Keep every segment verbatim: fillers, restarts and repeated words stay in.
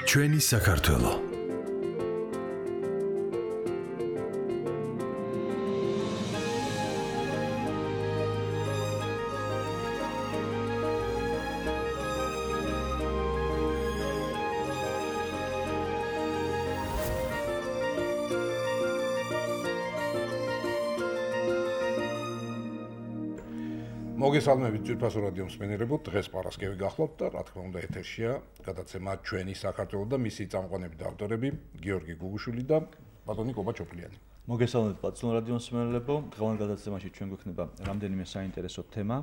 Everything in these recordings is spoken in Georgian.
ჩვენი საქართველო. მოგესალმებით ძვირფასო რადიო მსმენელებო, დღეს პარასკევი გახლავთ და რა თქმა უნდა ეთერშია გადაცემა ჩვენი საქართველო და მისი წამყვანები და ავტორები გიორგი გუგუშვილი და ბატონი კობა ჩოპლიანი. მოგესალმებით პატიო რადიო მსმენელებო, დღევანდელ გადაცემაში ჩვენ გვექნება რამდენიმე საინტერესო თემა.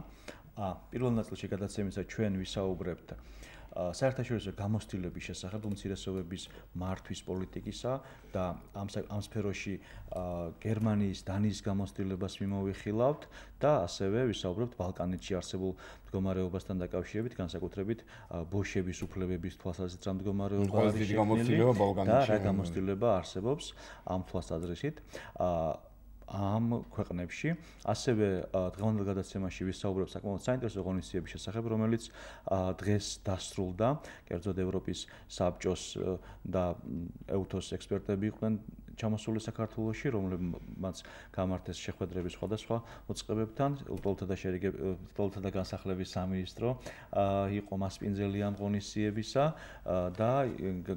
პირველ ნაწილში გადაცემისა ჩვენ ვისაუბრებთ საერთაშორისო გამოცდილების შესახებ უმცირესობების მართვის პოლიტიკისა და ამ ამ სფეროში გერმანიის, დანიის გამოცდილებას მიმოვიხილავთ და ასევე ვისაუბრებთ ბალკანეთში არსებულ მდგომარეობასთან დაკავშირებით, განსაკუთრებით ბოშების უფლებების თვალსაზრისით რა მდგომარეობა არის და რა გამოცდილება არსებობს ამ თვალსაზრისით. ამ ქვეყნებში ასევე დღევანდელ გადაცემაში ვისაუბრებთ საკმაოდ საინტერესო ღონისძიების შესახებ, რომელიც დღეს დასრულდა. კერძოდ ევროპის საბჭოს და ევთოს ექსპერტები იყვნენ ჩამოსული საქართველოში, რომლებმაც გამართეს შეხვედრები სხვადასხვა მოწყობებთან. ლტოლთა და ლტოლთა და განსახლების სამინისტრო იყო მასპინძელი ამ ღონისძიებისა და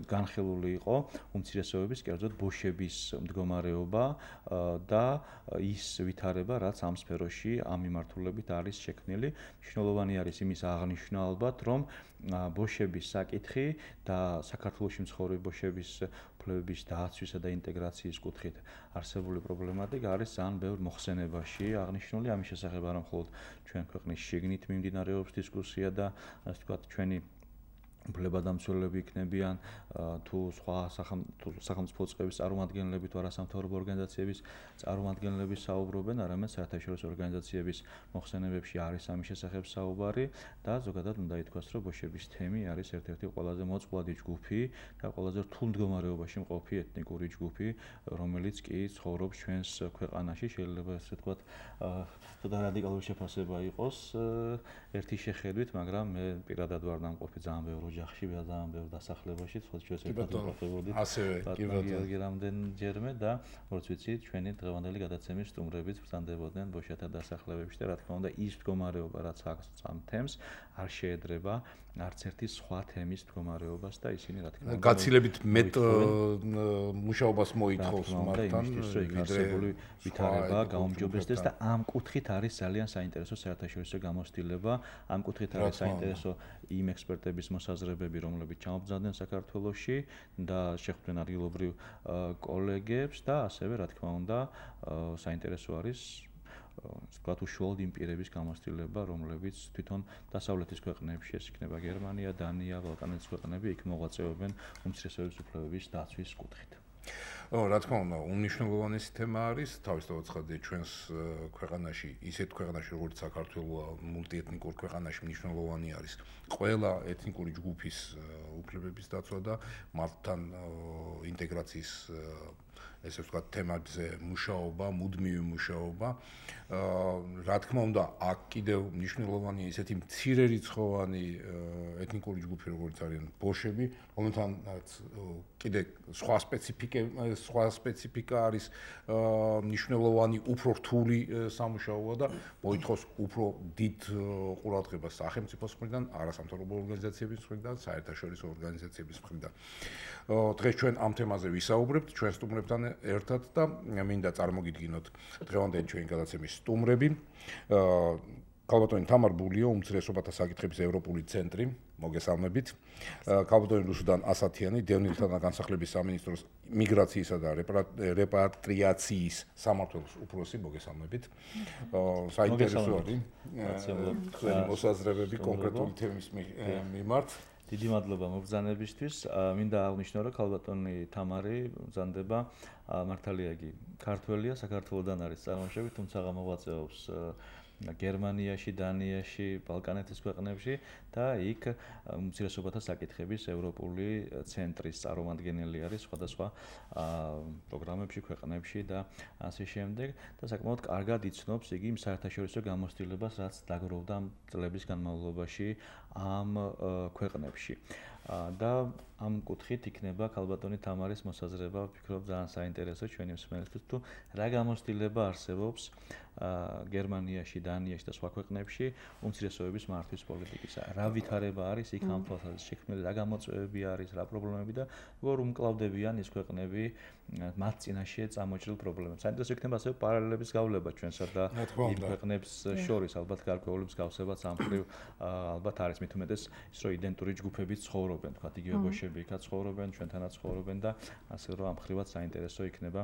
განხილული იყო უმცირესობების, კერძოდ ბოშების მდგომარეობა და ის ვითარება, რაც ამ სფეროში ამ მიმართულებით არის შექმნილი. მნიშვნელოვანი არის იმის აღნიშვნა ალბათ, რომ ბოშების საკითხი და საქართველოში მცხოვრები ბოშების უფლებების დაცვისა და ინტეგრაციის კუთხით არსებული პრობლემატიკა არის ძალიან ბევრ მოხსენებაში აღნიშნული. ამის შესახებ არა მხოლოდ ჩვენ ქვეყნის შიგნით მიმდინარეობს დისკუსია და ასე ვთქვათ, ჩვენი უფლებადამცველები იქნებიან თუ სხვა სახელმწიფო წყების წარმომადგენლები თუ არასამთავრობო ორგანიზაციების წარმომადგენლები საუბრობენ, არამედ საერთაშორისო ორგანიზაციების მოხსენებებში არის ამის შესახებ საუბარი და ზოგადად უნდა ითქვას, რომ ბოშების თემი არის ერთ-ერთი ყველაზე მოწყვლადი ჯგუფი და ყველაზე რთულ მდგომარეობაში მყოფი ეთნიკური ჯგუფი, რომელიც კი ცხოვრობს ჩვენს ქვეყანაში. შეიძლება ასე ვთქვათ, ცოტა რადიკალური შეფასება იყოს ერთი შეხედვით, მაგრამ მე პირადად ვარ დამყოფი ძალიან ბევრ ოჯახში, ძალიან ბევრ დასახლებაში, თქოს ჩვენ ერთად ვიმყოფებოდით. ასევე კი ბატონო რამდენჯერმე და როგორც ვიცი, ჩვენი დღევანდელი გადაცემის სტუმრებიც ვრცელდებოდნენ ბოშათა დასახლებებში და რა თქმა უნდა ის მდგომარეობა, რაც აქვს ამ თემს, არ შეედრება არც ერთი სხვა თემის მდგომარეობას და ისინი რა თქმა უნდა გაცილებით მეტ მუშაობას მოითხოვს მართან, ვიდრე ვითარება გაუმჯობესდეს და ამ კუთხით არის ძალიან საინტერესო საერთაშორისო გამოცდილება. ამ კუთხით არის საინტერესო იმ ექსპერტების მოსაზრებები, რომლებიც ჩამობრძანდნენ საქართველოში და შეხვდნენ ადგილობრივ კოლეგებს და ასევე რა თქმა უნდა საინტერესო არის ვთქვათ, უშუალოდ იმ პირების გამოცდილება, რომლებიც თვითონ დასავლეთის ქვეყნებში, ეს იქნება გერმანია, დანია, ბალკანეთის ქვეყნები, იქ მოღვაწეობენ უმცირესობების უფლებების დაცვის კუთხით. რა თქმა უნდა, უმნიშვნელოვანესი თემა არის, თავისთავად ცხადია ჩვენს ქვეყანაში, ისეთ ქვეყანაში, როგორც საქართველოა, მულტიეთნიკურ ქვეყანაში მნიშვნელოვანი არის ყველა ეთნიკური ჯგუფის უფლებების დაცვა და მათთან ინტეგრაციის ესე ვთქვათ, თემებზე მუშაობა, მუდმივი მუშაობა. რა თქმა უნდა, აქ კიდევ მნიშვნელოვანია ისეთი მცირერიცხოვანი ეთნიკური ჯგუფი, როგორც არიან ბოშები, რომელთანაც კიდე სხვა სპეციფიკა, სხვა სპეციფიკა არის მნიშვნელოვანი, უფრო რთული სამუშაოა და მოითხოვს უფრო დიდ ყურადღებას სახელმწიფოს მხრიდან, არასამთავრობო ორგანიზაციების მხრიდან, საერთაშორისო ორგანიზაციების მხრიდან. დღეს ჩვენ ამ თემაზე ვისაუბრებთ ჩვენ სტუმრებთან ერთად და მინდა წარმოგიდგინოთ დღევანდელი ჩვენი გადაცემის სტუმრები. ქალბატონი თამარ ბულიო, უმცირესობათა საკითხების ევროპული ცენტრი, მოგესალმებით. ქალბატონი რუსუდან ასათიანი, დევნილთა და განსახლების სამინისტროს მიგრაციისა და რეპატრიაციის სამმართველოს უფროსი, მოგესალმებით. საინტერესო არის თქვენი მოსაზრებები კონკრეტული თემის მიმართ. დიდი მადლობა მობრძანებისთვის. მინდა აღვნიშნო, რომ ქალბატონი თამარი ბრძანდება მართალია იგი ქართველია, საქართველოდან არის წარმოშობით, თუმცა მოღვაწეობს გერმანიაში, დანიაში, ბალკანეთის ქვეყნებში და იქ უმცირესობათა საკითხების ევროპული ცენტრის წარმომადგენელი არის სხვადასხვა პროგრამებში, ქვეყნებში და ასე შემდეგ და საკმაოდ კარგად იცნობს იგი იმ საერთაშორისო გამოცდილებას, რაც დაგროვდა წლების განმავლობაში ამ ქვეყნებში. და ამ კუთხით იქნება ქალბატონი თამარის მოსაზრება, ვფიქრობ ძალიან საინტერესო ჩვენი მსმენელისთვის, თუ რა გამოცდილება არსებობს გერმანიაში, დანიაში და სხვა ქვეყნებში უმცირესობების მართვის პოლიტიკისა. რა ვითარება არის იქ ამ თვალსაზრისით შექმნილი, რა გამოწვევები არის, რა პრობლემები და როგორ უმკლავდებიან ის ქვეყნები მათ წინაშე წამოჭრილ პრობლემებს. საინტერესო იქნება ასევე პარალელების გავლება ჩვენსა და იმ ქვეყნებს შორის, ალბათ გარკვეული მსგავსებაც ამ მხრივ ალბათ არის, მით უმეტეს ის რომ იდენტური ჯგუფები ცხოვრობენ, თქვა იგივე ბოშები იქაც ცხოვრობენ, ჩვენთანაც ცხოვრობენ და ასე რომ ამ მხრივაც საინტერესო იქნება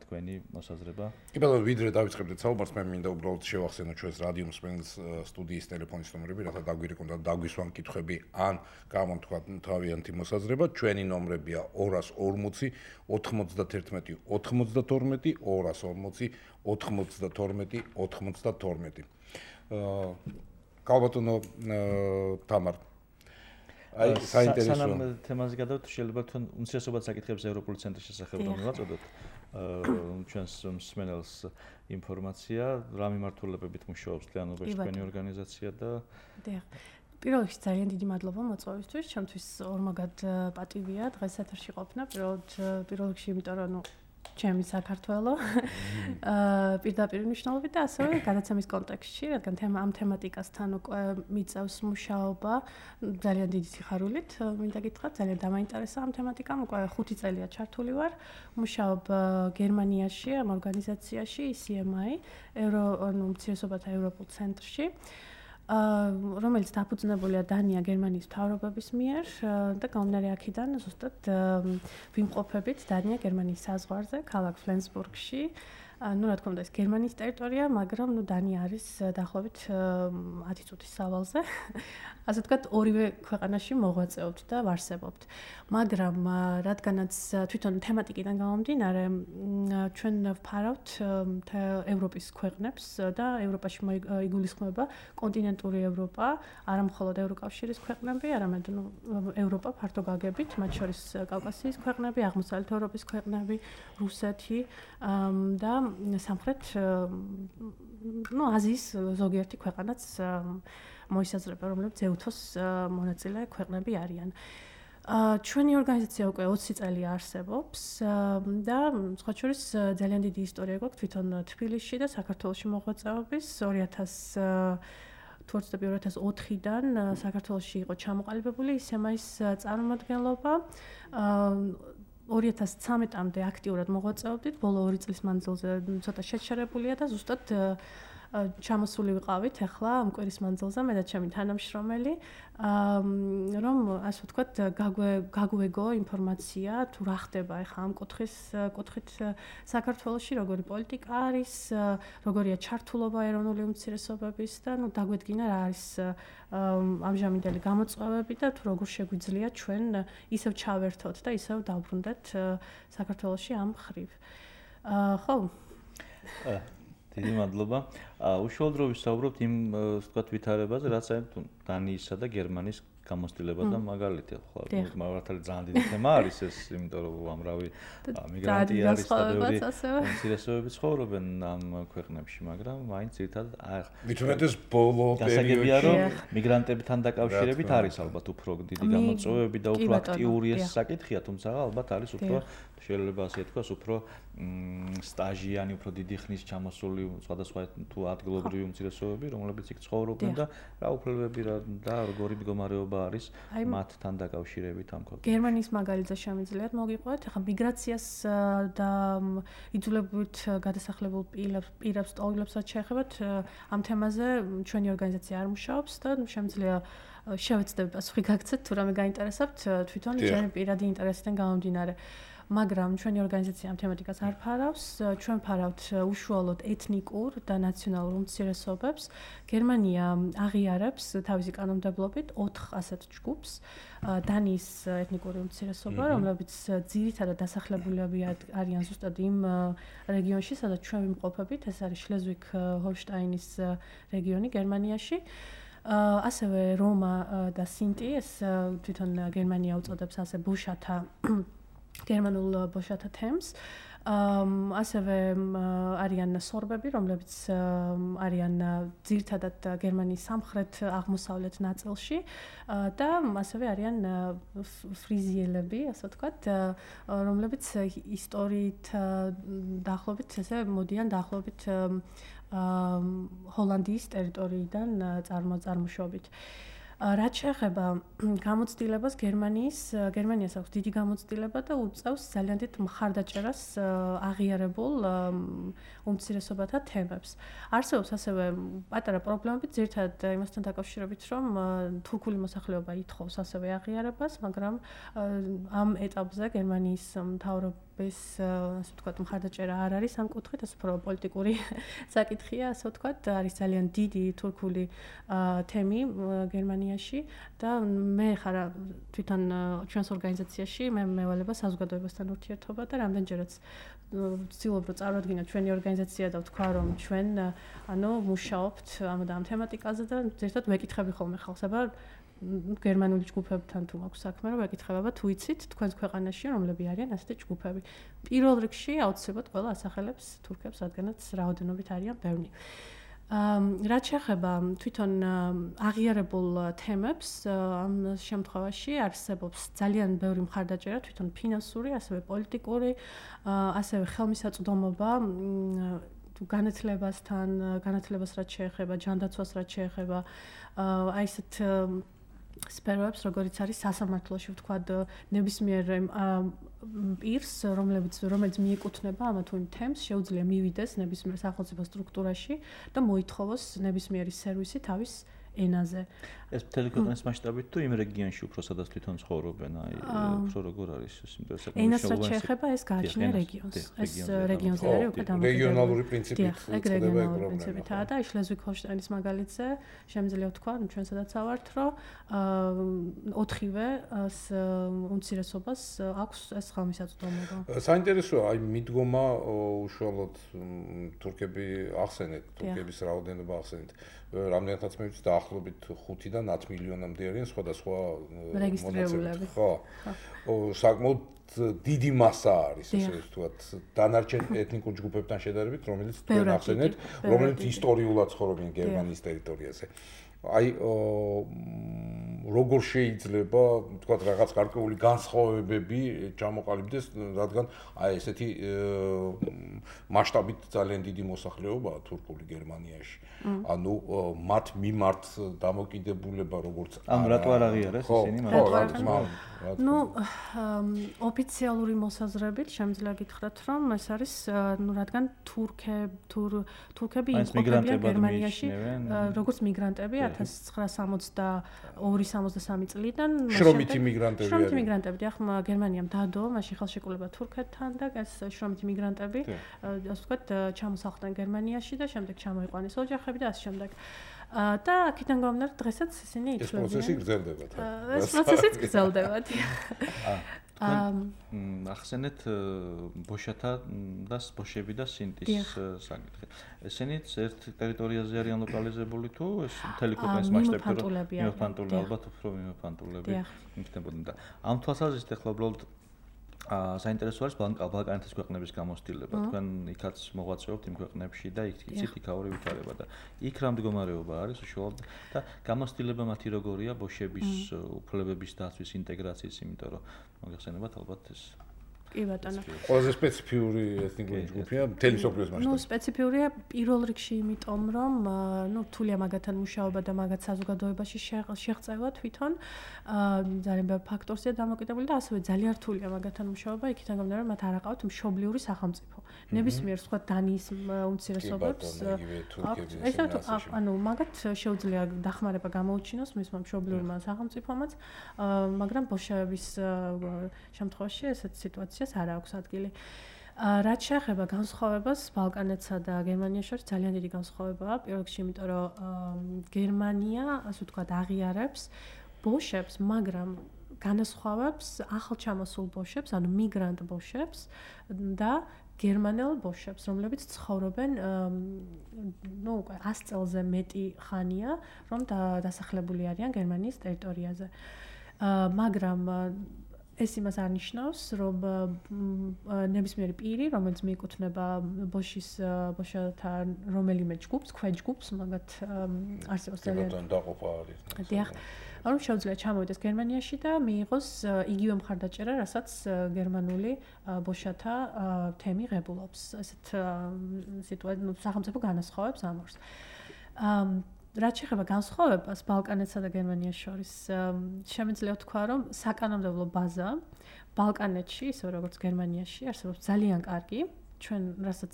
თქვენი მოსაზრება. კი ბატონო, ვიდრე დავიწყებდეთ საუბარს, მე მინდა უბრალოდ შევახსენო ჩვენს რადიო მსმენელს სტუდიის ტელეფონის ნომრები, რათა დაგვირეკონ და დაგვისვან კითხვები ან გამომთქვა თავიანთი მოსაზრება. ჩვენი ნომრებია ორას ორმოცი ოთხმოცდათერთმეტი ოთხმოცდათორმეტი ორას ორმოცი ოთხმოცდათორმეტი ოთხმოცდათორმეტი. ქალბატონო თამარ, აი საინტერესო სანამ თემაზე გადავთ, შეიძლება თქვენ უმცირესობათა საკითხების ევროპული ცენტრის შესახებ რომ მივაწოდოთ ჩვენს მსმენელს ინფორმაცია, რა მიმართულებებით მუშაობს თლიანობაში თქვენი ორგანიზაცია და დიახ. პირველ რიგში ძალიან დიდი მადლობა მოწვევისთვის, ჩემთვის ორმაგად პატივია დღეს ეთერში ყოფნა. პირველ პირველ რიგში იმიტომ რომ ნუ ჩემი საქართველო აა პირდაპირ მნიშვნელობით და ასევე გადაცემის კონტექსტში, რადგან თემა ამ თემატიკასთან უკვე მიწევს მუშაობა ძალიან დიდი სიხარულით, მინდა გითხრათ, ძალიან დამაინტერესა ამ თემატიკამ, უკვე ხუთი წელია ჩართული ვარ, მუშაობ გერმანიაში, ამ ორგანიზაციაში ი სი ემ აი, ევრო ანუ უმცირესობათა ევროპულ ცენტრში. რომელიც დაფუძნებულია დანია გერმანიის მთავრობების მიერ და გამომდინარე აქედან ზუსტად ვიმყოფებით დანია გერმანიის საზღვარზე, ქალაქ ფლენსბურგში. ну, რა თქმა უნდა, ეს გერმანიის ტერიტორია, მაგრამ ну დანია არის დაახლოებით ათი წუთის სავალზე. ასე ვთქვათ, ორივე ქვეყანაში მოღვაწეობთ და ვარსებობთ. მაგრამ რადგანაც თვითონ თემატიკიდან გამომდინარე, ჩვენ ვფარავთ ევროპის ქვეყნებს და ევროპაში იგულისხმება კონტინენტური ევროპა, არა მხოლოდ ევროკავშირის ქვეყნები, არამედ ну ევროპა ფართო გაგებით, მათ შორის კავკასიის ქვეყნები, აღმოსავლეთ ევროპის ქვეყნები, რუსეთი და სამხრეთ ну აზიის ზოგიერთი ქვეყანაც მოისაზრება, რომლებიც ევთოს მონაწილე ქვეყნები არიან. ჩვენი ორგანიზაცია უკვე ოცი წელი არსებობს და სხვა შორის ძალიან დიდი ისტორია გვაქვს თვითონ თბილისში და საქართველოში მოღვაწეობის. ორი ათას თუ არ ვცდები ორი ათას ოთხიდან საქართველოში იყო ჩამოყალიბებული ი სი ემ აის წარმომადგენლობა. ორი ათას ცხრამეტამდე აქტიურად მოღვაწეობდით, ბოლო ორი წლის მანძილზე ცოტა შეჩერებულია და ზუსტად ჩამოსული ვიყავით ახლა ამ კვირის მანძილზე მე და ჩემი თანამშრომელი, რომ ასე ვთქვათ, გაგვეგო ინფორმაცია თუ რა ხდება ახლა ამ კუთხის კუთხით საქართველოში, როგორი პოლიტიკა არის, როგორია ჩართულობა ეროვნული უმცირესობების და ну დაგვედგინა რა არის ამჟამინდელი გამოწვევები და თუ როგორ შეგვიძლია ჩვენ ისევ ჩავერთოთ და ისევ დავბრუნდეთ საქართველოში ამ მხრივ. ხო? დიდი მადლობა. უშუალოდ რო ვისაუბრობთ იმ ვთქვათ ვითარებაზე, რაც აი დანიისა და გერმანიის გამოცდილება და მაგალითი ხო, მართალი ძალიან დიდი თემა არის ეს, იმიტომ რომ უამრავი მიგრანტი არის და ბევრი უმცირესობები ცხოვრობენ ამ ქვეყნებში, მაგრამ მაინც ერთად მithumetes ბოლო პერიოდში რომ მიგრანტებთან დაკავშირებით არის ალბათ უფრო დიდი გამოწვევები და უფრო აქტიური ეს საკითხია, თუმცა ალბათ არის უფრო შეიძლება ასე თქვას, უფრო სტაჟიანი, უფრო დიდი ხნის ჩამოსული სხვადასხვა თუ ადგილობრივი უმცირესობები, რომლებიც იქ ცხოვრობენ და რა უფლებები და როგორი მდგომარეობა არის მათთან დაკავშირებით ამ ქვეყნებში. გერმანიის მაგალითზე შემიძლიათ მოგიყვეთ, ახლა მიგრაციას და იძულებით გადასახლებულ პირებს, ტოლობებსაც შეეხებათ, ამ თემაზე ჩვენი ორგანიზაცია არ მუშაობს და შემიძლია შევეცდები პასუხი გაგცეთ, თუ რამე გაინტერესებთ, თვითონ ჩემი პირადი ინტერესიდან გამომდინარე. მაგრამ ჩვენი ორგანიზაცია ამ თემატიკას არ ფარავს. ჩვენ ფარავთ უშუალოდ ეთნიკურ და ნაციონალურ უმცირესობებს. გერმანია აღიარებს თავისი კანონმდებლობით ოთხ ასეთ ჯგუფს. დანიის ეთნიკური უმცირესობა, რომლებიც ძირითადად დასახლებულები არიან ზუსტად იმ რეგიონში, სადაც ჩვენ ვიმყოფებით, ეს არის შლეზვიგ-ჰოლშტაინის რეგიონი გერმანიაში. ასევე რომა და სინტი, ეს თვითონ გერმანია უწოდებს ასე ბოშათა გერმანულ ბოშათა თემს. ასევე არიან სორბები, რომლებიც არიან ძირითადად გერმანიის სამხრეთ აღმოსავლეთ ნაწილში და ასევე არიან ფრიზიელები, ასე ვთქვათ, რომლებიც ისტორიით დაახლოებით ესე მოდიან დაახლოებით ჰოლანდიის ტერიტორიიდან წარმოშობით. რაც შეეხება გამოცდილებას გერმანიის გერმანიას აქვს დიდი გამოცდილება და უწევს ძალიან დიდ მხარდაჭერას აღიარებულ უმცირესობათა თემებს. არსებობს ასევე პატარა პრობლემები ძირითადად იმასთან დაკავშირებით, რომ თურქული მოსახლეობა ითხოვს ასევე აღიარებას, მაგრამ ამ ეტაპზე გერმანიის მთავრობის ასე ვთქვათ მხარდაჭერა არ არის ამ კუთხით, ეს უფრო პოლიტიკური საკითხია, ასე ვთქვათ, არის ძალიან დიდი თურქული თემი გერმანიაში და მე ხარ თვითონ ჩვენს ორგანიზაციაში მე მევალება საზოგადოებასთან ურთიერთობა და რამდენჯერაც ვცდილობ რომ წარვადგინოთ ჩვენი ორგანიზაცია და ვთქვა რომ ჩვენ ანუ მუშაობთ ამ და ამ თემატიკაზე და ზუსტად ვეკითხები ხოლმე ხალხს, აბა გერმანული ჯგუფებთან თუ მაქვს საქმე, რომ ვეკითხება თუ იცით თქვენს ქვეყანაში რომლები არიან ასეთი ჯგუფები. პირველ რიგში აუცილებლად ყველა ასახელებს თურქებს, რადგანაც რაოდენობით არიან ბევრი. რაც შეეხება თვითონ აღიარებულ თემებს, ამ შემთხვევაში არსებობს ძალიან ბევრი მხარდაჭერა, თვითონ ფინანსური, ასევე პოლიტიკური, ასევე ხელმისაწვდომობა თუ განათლებასთან, განათლებას რაც შეეხება, ჯანდაცვას რაც შეეხება, აი ესეთ სფეროებს, როგორიც არის სასამართლოში, ვთქვათ, ნებისმიერ პირს, რომლებიც რომელიც მიეკუთვნება ამა თუ იმ თემს, შეუძლია მივიდეს ნებისმიერ სახელმწიფო სტრუქტურაში და მოითხოვოს ნებისმიერი სერვისი თავის ენაზე. ეს მთელი ქვეყნის მასშტაბით თუ იმ რეგიონში უფრო სადაც თვითონ ცხოვრობენ, აი უფრო როგორ არის ეს ინტერესები. ენას რაც შეეხება, ეს გააჩნია რეგიონს. ეს რეგიონზე არის უკვე დამოკიდებული. რეგიონალური პრინციპით წდება ეგრეგიონალურია და აი შლეზვიგ-ჰოლშტაინის მაგალითზე შემიძლია ვთქვა, რომ ჩვენ სადაც ავართ, რომ ოთხივე უმცირესობას აქვს ეს ხელმისაწვდომობა. საინტერესოა, აი მიდგომა უშუალოდ თურქები ახსენეთ, თურქების რაოდენობა ახსენეთ. რამდენადაც მე ვიცი დაახლოებით ხუთიდან ათ მილიონამდე არიან სხვადასხვა რეგისტრირებულები. ხო. საკმაოდ დიდი მასა არის, ესე ვთქვათ, დანარჩენ ეთნიკურ ჯგუფებთან შედარებით, რომელიც თქვენ ახსენეთ, რომელიც ისტორიულად ცხოვრობენ გერმანიის ტერიტორიაზე. აი როგორ შეიძლება, ვთქვათ, რაღაც გარკვეული განსხვავებები ჩამოყალიბდეს, რადგან აი ესეთი მასშტაბით ძალიან დიდი მოსახლეობაა თურქული გერმანიაში. ანუ მათ მიმართ დამოკიდებულება როგორც ამ რატო არ აღიარეს ისინი მაგრამ ნუ ოფიციალური მოსაზრებით შემიძლია გითხრათ რომ ეს არის ნუ რადგან თურქები თურქები იმყოფებიან გერმანიაში როგორც მიგრანტები ათას ცხრაასა სამოცდაორი სამოცდასამი წლიდან შრომითი მიგრანტები არიან შრომითი მიგრანტები ახლა გერმანიამ დადო მაშინ ხელშეკრულება თურქეთთან და ეს შრომითი მიგრანტები ასე ვთქვათ ჩამოსახლდნენ გერმანიაში და შემდეგ ჩამოიყვანეს ოჯახები და ასე შემდეგ. და აქედან გამომდინარე დღესაც ისინი ითვლებიან. ეს პროცესი გრძელდება. ეს პროცესიც გრძელდება. ახსენეთ ბოშათა და ბოშები და სინტის საკითხი. ესენიც ერთ ტერიტორიაზე არიან ლოკალიზებული თუ ეს მთელი ქვეყნის მასშტაბით მიმოფანტული ალბათ უფრო მიმოფანტულები იქნებოდნენ და ამ თვალსაზრისით ახლა უბრალოდ საინტერესო არის ბალკანეთის ქვეყნების გამოცდილება. თქვენ იქაც მოღვაწეობთ იმ ქვეყნებში და იქ იცით იქაური ვითარება და იქ რა მდგომარეობა არის უშუალოდ და გამოცდილება მათი როგორია ბოშების უფლებების დაცვის ინტეგრაციის, იმიტომ რომ მოგეხსენებათ ალბათ ეს კი ბატონო. ყველაზე სპეციფიური ეთნიკური ჯგუფია მთელი სოფლის მასშტაბით. ნუ სპეციფიურია პირველ რიგში იმიტომ, რომ ნუ რთულია მაგათთან მუშაობა და მაგათ საზოგადოებაში შეღწევა თვითონ. ძალიან ბევრ ფაქტორზეა დამოკიდებული და ასევე ძალიან რთულია მაგათთან მუშაობა, იქიდან გამომდინარე, მათ არ აყავთ მშობლიური სახელმწიფო. ნებისმიერ სხვა დანიის უმცირესობებს ესე ანუ მაგათ შეუძლია დახმარება გამოუჩინოს მისმა მშობლიურმა სახელმწიფომაც, მაგრამ ბოშების შემთხვევაში ესეთი სიტუაცია დისკუსიას არ აქვს ადგილი. რაც შეეხება განსხვავებას ბალკანეთსა და გერმანიას შორის ძალიან დიდი განსხვავებაა. პირველ რიგში, იმიტომ რომ გერმანია, ასე ვთქვათ, აღიარებს ბოშებს, მაგრამ განასხვავებს ახალჩამოსულ ბოშებს, ანუ მიგრანტ ბოშებს და გერმანელ ბოშებს, რომლებიც ცხოვრობენ ნუ უკვე ას წელზე მეტი ხანია, რომ დასახლებული არიან გერმანიის ტერიტორიაზე. მაგრამ ეს იმას არ ნიშნავს, რომ ნებისმიერი პირი, რომელიც მიეკუთვნება ბოშის ბოშათა რომელიმე ჯგუფს, ქვეჯგუფს, მაგათ არსებობს ძალიან დაყოფა არის. დიახ, რომ შეუძლია ჩამოვიდეს გერმანიაში და მიიღოს იგივე მხარდაჭერა, რასაც გერმანული ბოშათა თემი ღებულობს. ესეთ სიტუაცია, ნუ სახელმწიფო განასხვავებს ამ ორს. რაც შეეხება განსხვავებას ბალკანეთსა და გერმანიას შორის, შემიძლია ვთქვა, რომ საკანონმდებლო ბაზა ბალკანეთში, ისე როგორც გერმანიაში, არსებობს ძალიან კარგი. ჩვენ, რასაც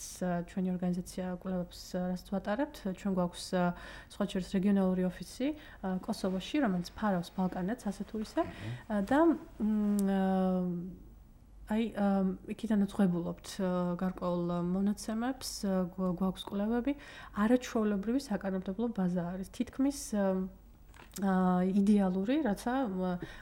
ჩვენი ორგანიზაცია კვლევებს რასაც ვატარებთ, ჩვენ გვაქვს სხვა შორის რეგიონალური ოფისი კოსოვოში, რომელიც ფარავს ბალკანეთს, ასე თუ ისე და აი, იქითანაც ვღებულობთ გარკვეულ მონაცემებს, გვაქვს კვლევები, არაჩვეულებრივი საკანონმდებლო ბაზა არის. თითქმის იდეალური, რაცა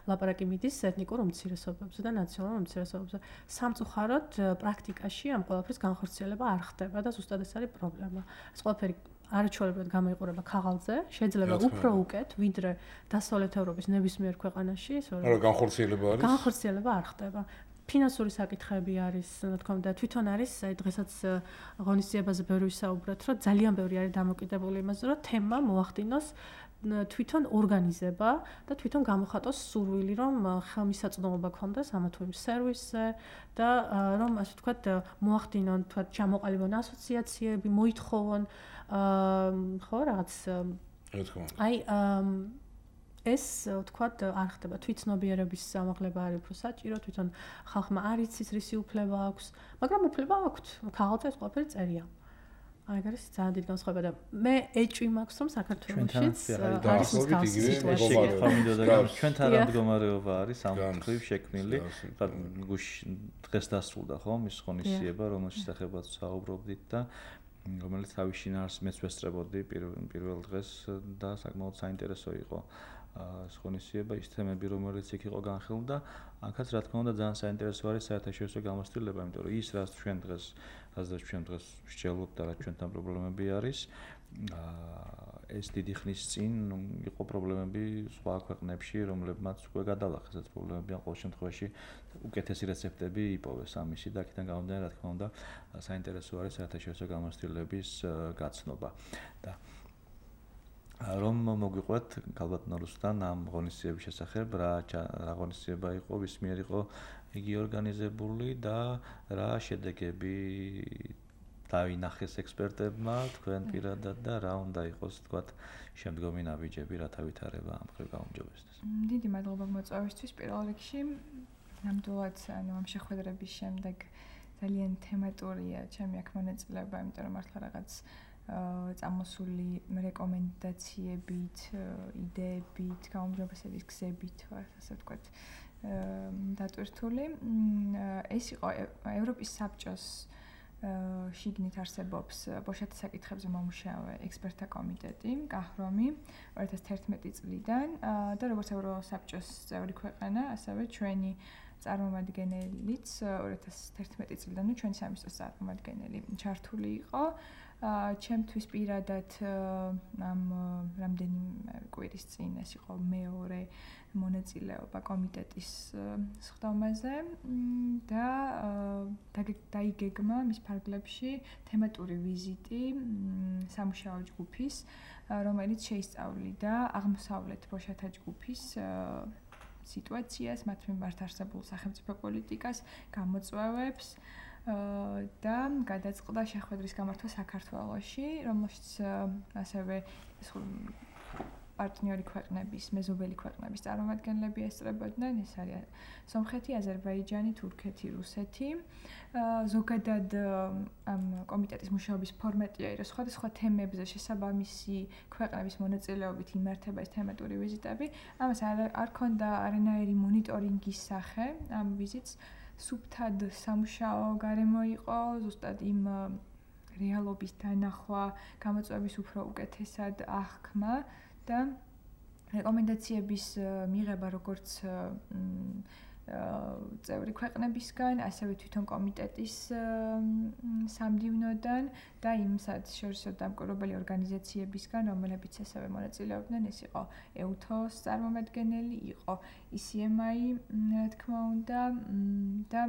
ლაპარაკი მიდის ეთნიკურ უმცირესობებზე და ნაციონალურ უმცირესობებზე. სამწუხაროდ პრაქტიკაში ამ ყველაფრის განხორციელება არ ხდება და ზუსტად ეს არის პრობლემა. ეს ყველაფერი არაჩვეულებრივად გამოიყურება ქაღალდზე, შეიძლება უფრო უკეთ, ვიდრე დასავლეთ ევროპის ნებისმიერ ქვეყანაში, მაგრამ განხორციელება არის? განხორციელება არ ხდება. ფინანსური საკითხები არის, რა თქმა უნდა, თვითონ არის, აი დღესაც ღონისძიებაზე ბევრი ვისაუბრეთ, რომ ძალიან ბევრი არის დამოკიდებული იმაზე, რომ თემა მოახდინოს თვითონ ორგანიზება და თვითონ გამოხატოს სურვილი, რომ ხელმისაწვდომობა ქონდეს ამა თუ იმ სერვისზე და რომ ასე ვთქვათ, მოახდინონ თქვათ ჩამოყალიბონ ასოციაციები, მოითხოვონ ხო რაღაც აი ეს ვთქვათ არ ხდება თვითცნობიერების ამაღლება არის უფრო საჭირო, თვითონ ხალხმა არ იცის რისი უფლება აქვს, მაგრამ უფლება აქვთ, ქაღალდზე ეს ყველაფერი წერია. აი, ეგ არის ძალიან დიდი განსხვავება და მე ეჭვი მაქვს, რომ საქართველოშიც არის მსგავსი სიტუაცია. ჩვენთან რა მდგომარეობა არის ამ მხრივ შექმნილი, გუშინ დღეს დასრულდა ხო მის ღონისძიება, რომელშიც ახებაც საუბრობდით და რომელიც თავის შინაარსს მეც ვესწრებოდი პირველ დღეს და საკმაოდ საინტერესო იყო ეს ღონისძიება, ის თემები, რომელიც იქ იყო განხილული და აქაც რა თქმა უნდა ძალიან საინტერესო არის საერთაშორისო გამოცდილება, იმიტომ რომ ის რაც ჩვენ დღეს რაც ჩვენ დღეს ვსჯელობთ და რა ჩვენთან პრობლემები არის, ეს დიდი ხნის წინ იყო პრობლემები სხვა ქვეყნებში, რომლებმაც უკვე გადალახეს ეს პრობლემები, ან ყოველ შემთხვევაში უკეთესი რეცეპტები იპოვეს ამისი და აქედან გამომდინარე, რა თქმა უნდა, საინტერესო არის საერთაშორისო გამოცდილების გაცნობა და რომ მოგვიყვეთ ქალბატონ რუსთან ამ ღონისძიების შესახებ, რა რა ღონისძიება იყო, ვის მიერ იყო იგი ორგანიზებული და რა შედეგები დავინახეს ექსპერტებმა, თქვენ პირადად და რა უნდა იყოს, თქვათ, შემდგომი ნაბიჯები, რა თავითარება ამ ხრივ გაუმჯობესდეს. დიდი მადლობა მოწვევისთვის პირველ რიგში. ნამდვილად, ანუ ამ შეხვედრების შემდეგ ძალიან თემატურია ჩემი აქ მონაწილეობა, იმიტომ რომ მართლა რაღაც წამოსული რეკომენდაციებით, იდეებით, გაუმჯობესების გზებით, ასე ვთქვათ, დატვირთული. ეს იყო ევროპის საბჭოს შიგნით არსებობს ბოშათა საკითხებზე მომუშავე ექსპერტთა კომიტეტი, გაჰრომი ორი ათას თერთმეტი წლიდან და როგორც ევროსაბჭოს წევრი ქვეყანა, ასევე ჩვენი წარმომადგენელიც ორი ათას თერთმეტი წლიდან, ნუ ჩვენი სამინისტროს წარმომადგენელი ჩართული იყო. ჩემთვის პირადად ამ რამდენიმე კვირის წინ ეს იყო მეორე მონაწილეობა კომიტეტის სხდომაზე და დაიგეგმა მის ფარგლებში თემატური ვიზიტი სამუშაო ჯგუფის, რომელიც შეისწავლიდა აღმოსავლეთ ბოშათა ჯგუფის სიტუაციას, მათ მიმართ არსებულ სახელმწიფო პოლიტიკას, გამოწვევებს და გადაწყდა შეხვედრის გამართვა საქართველოში, რომელშიც ასევე პარტნიორი ქვეყნების, მეზობელი ქვეყნების წარმომადგენლები ესწრებოდნენ, ეს არის სომხეთი, აზერბაიჯანი, თურქეთი, რუსეთი. ზოგადად ამ კომიტეტის მუშაობის ფორმატია, რომ სხვადასხვა თემებზე შესაბამისი ქვეყნების მონაწილეობით იმართება ეს თემატური ვიზიტები. ამას არ არ ქონდა არანაირი მონიტორინგის სახე ამ ვიზიტს. სუფთად სამუშაო გარემო იყო, ზუსტად იმ რეალობის დანახვა, გამოწვევების უფრო უკეთესად აღქმა და რეკომენდაციების მიღება როგორც წევრი ქვეყნებისგან, ასევე თვითონ კომიტეტის სამდივნოდან და იმ საერთაშორისო დამკვირვებელი ორგანიზაციებისგან, რომლებიც ასევე მონაწილეობდნენ, ეს იყო ეუთოს წარმომადგენელი, იყო ი სი ემ აი, რა თქმა უნდა, და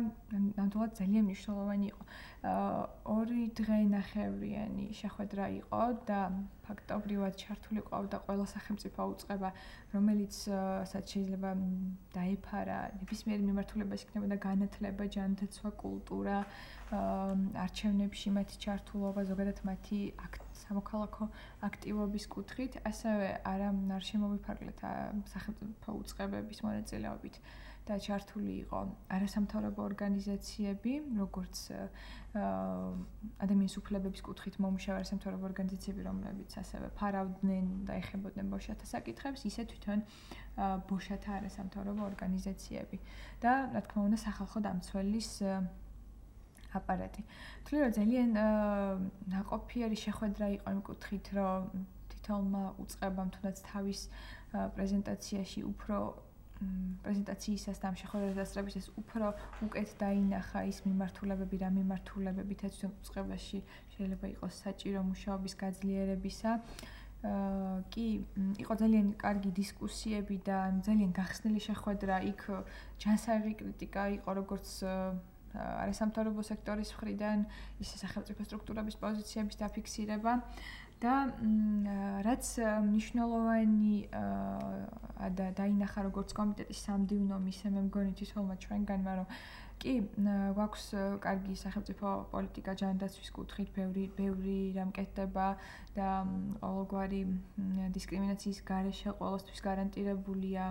ნამდვილად ძალიან მნიშვნელოვანი იყო. ორი დღე-ნახევრიანი შეხვედრა იყო და ფაქტობრივად ჩართული ყავდა ყველა სახელმწიფო უწყება, რომელიც სადაც შეიძლება დაეფარა ნებისმიერი მიმართულებას იქნებოდა განათლება, ჯანდაცვა, კულტურა, არჩევნებში მათი ჩართულობა, ზოგადად მათი სამოქალაქო აქტივობის კუთხით, ასევე არა არ შემოვიფარგლეთ სახელმწიფო უწყებების მონაწილეობით და ჩართული იყო არასამთავრობო ორგანიზაციები, როგორც ადამიანის უფლებების კუთხით მომუშავე არასამთავრობო ორგანიზაციები, რომლებიც ასევე ფარავდნენ და ეხებოდნენ ბოშათა საკითხებს, ისე თვითონ ბოშათა არასამთავრობო ორგანიზაციები და რა თქმა უნდა სახალხო დამცველის აპარატი. თვლი რომ ძალიან ნაყოფიერი შეხვედრა იყო იმ კუთხით, რომ თითოეულმა უწყებამ თუნდაც თავის პრეზენტაციაში უფრო პრეზენტაციისას და ამ შეხვედრას დასწრებისას უფრო უკეთ დაინახა ის მიმართულებები, რა მიმართულებებით ეს უწყებაში შეიძლება იყოს საჭირო მუშაობის გაძლიერებისა. კი, იყო ძალიან კარგი დისკუსიები და ძალიან გახსნილი შეხვედრა, იქ ჯანსაღი კრიტიკა იყო როგორც არასამთავრობო სექტორის მხრიდან, ისე სახელმწიფო სტრუქტურების პოზიციების დაფიქსირება და რაც მნიშვნელოვანი და დაინახა როგორც კომიტეტის სამდივნო მისე მე მგონი თითოეულმა ჩვენგანმა, რომ კი გვაქვს კარგი სახელმწიფო პოლიტიკა ჯანდაცვის კუთხით, ბევრი ბევრი რამ კეთდება და ყოველგვარი დისკრიმინაციის გარეშე ყოველთვის გარანტირებულია